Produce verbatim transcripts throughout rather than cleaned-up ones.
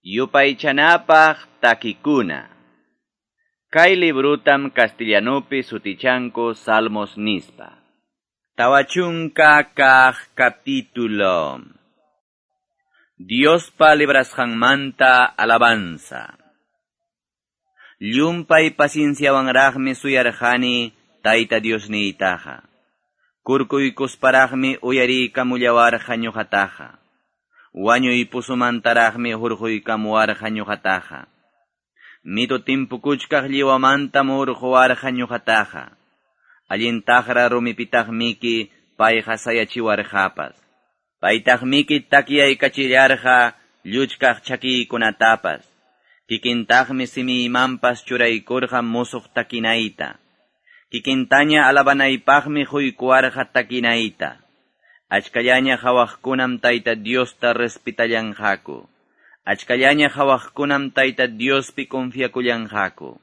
Yupaychanapaq takikuna. Kay librutam castellanupi sutichanku Salmos nispa. Tawachunka kaq capítulo. Diospa librasqanmanta alabanza. Llumpay pacienciawanraqmi suyarqani Tayta Diosniytaqa. Kurkuykusparaqmi uyariykamullawarqa ñuqataqa. Wañuy pusumantaraqmi hurquykamuwarqa ñuqataqa. Mito timpukuchkaq lliwamantam hurquwarqa ñuqataqa. Allintaqra rumipitaqmiki payqa sayachiwarqapas. Paytaqmiki takyaykachilarqa lluchkaq chakiykunatapas. Kikintaqmi simiymanpas churaykurqa musuq takinayta. Kikintaña alabanaypaqmi huykuwarqa takinayta. Achkallaña hawaqkunam Tayta Diosta respetallanqaku. Achkallaña hawaqkunam Tayta Diospi confiakullanqaku.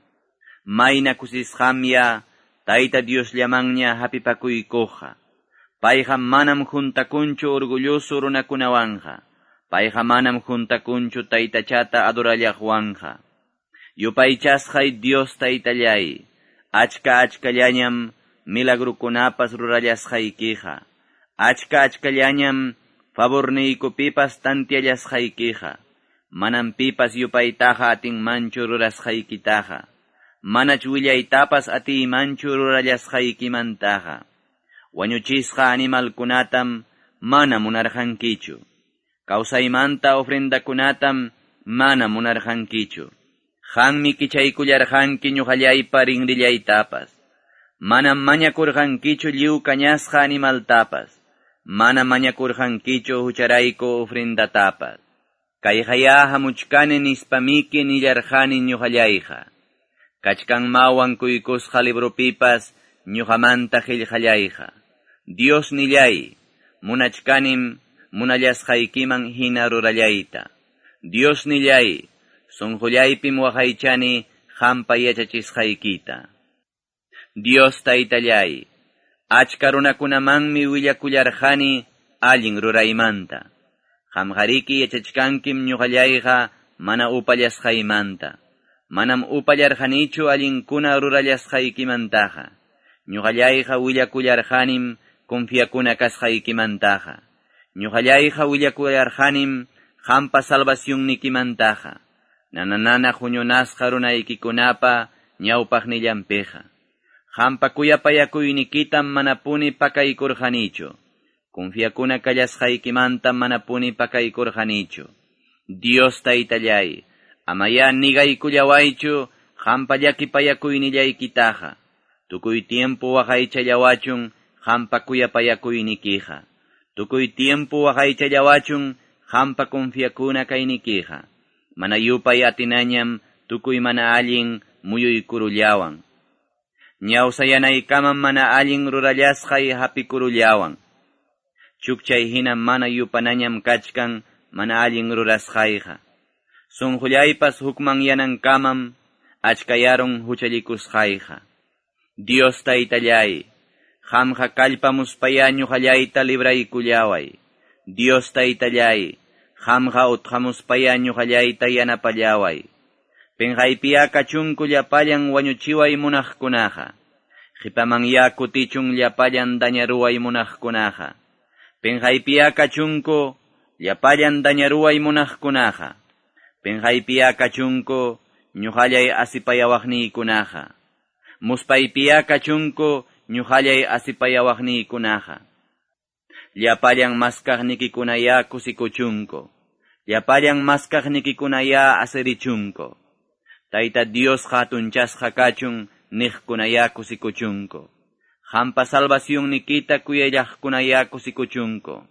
Mayna kusisqamya Tayta Diosllamanña hapipakuykuqa. Payqa manam juntakunchu orgulloso runakunawanqa. Payqa manam juntakunchu taytachata adorallaqwanqa. Yupaychasqay Dios Taytallay, achka achkallañam milagrukunapas rurallasqaykiqa. Achka achkallañam favorniykupipas tantiallasqaykiqa. Manam pipas yupaytaqa atinmanchu rurasqaykitaqa. Manach willaytapas atiymanchu rurallasqaykimantaqa. Wañuchisqa animalkunatam mana munarqankichu. Kawsaymanta ofrendakunatam mana munarqankichu. Qanmi kichaykullarqanki ñuqallaypa rinrillaytapas. Manam mañakurqankichu lliw kañasqa animaltapas. Mana mañakurqankichu hucharayku ofrendatapas. Kayqaya hamuchkani nispamiki nillarqani ñuqallayqa. Kachkanmawan kuykusqa libropipas ñuqamanta qillqallayqa. Dios nillay, munachkanim munallasqaykiman hina rurallayta. Dios nillay, sunqullaypim waqaychani qampa yachachisqaykita. Dios Taytallay, achka runakunamanmi willakullarqani allin ruraymanta. Qamqariki yachachkankim ñuqallayqa mana upallasqaymanta. Manam upallarqanichu allinkuna rurallasqaykimantaqa. Ñuqallayqa willakullarqanim confiakuna kasqaykimantaqa. Ñuqallayqa willakullarqanim qampa salvacionnikimantaqa. Nananana huñunasqa runaykikunapa ñawpaqnillanpiqa. Qampa kuyapayakuynikitam manapuni pakaykurqanichu. Confiakuna kallasqaykimantam manapuni pakaykurqanichu. Dios Taytallay, amaya nigaykullawaychu qampa llakipayakuynillaykitaqa. Tukuy tiempo waqaychallawachun qampa kuyapayakuynikiqa. Tukuy tiempo waqaychallawachun qampa confiakuna kaynikiqa. Mana yupay atinañam tukuy mana allin muyuykurullawan. Ñawsayanaykamam mana allin rurallasqay hapikurullawan. Chukchay hina mana yupanañam kachkan mana allin rurasqayqa. Sunqullaypas hukmanyanankamam achkayarun huchallikusqayqa. Dios Taytallay, qamqa kallpamuspaya ñuqallayta libraykullaway. Dios Taytallay, qamqa utqamuspaya ñuqallayta yanapallaway. Pinqaypiya kachunku llapallan wañuchiway munaqkunaqa. Qhipamanya kutichun llapallan dañaruway munaqkunaqa. Pinqaypiya kachunku llapallan dañaruway munaqkunaqa. Pinqaypiya kachunku ñuqallay asipayawaqniykunaqa. Muspaypiya kachunku ñuqallay asipayawaqniykunaqa. Llapallan maskaqnikikunaya kusikuchunku. Llapallan maskaqnikikunaya asirichunku. Tayta Dios hatunchasqa kachun niqkunaya kusikuchunku. Qampa salvacionnikita kuyallaqkunaya kusikuchunku.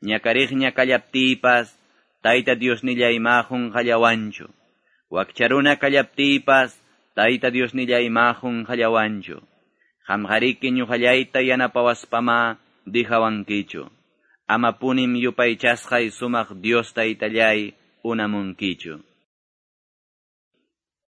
Ñakariqña kallaptiypas Tayta Diosnillay ma qunqallawanchu. Wakcharuna kallaptiypas Tayta Diosnillay ma qunqallawanchu. Qamqariki ñuqallayta yanapawaspama dijawankichu. Amapunim yupaychasqay sumaq Dios Taytallay unamunkichu.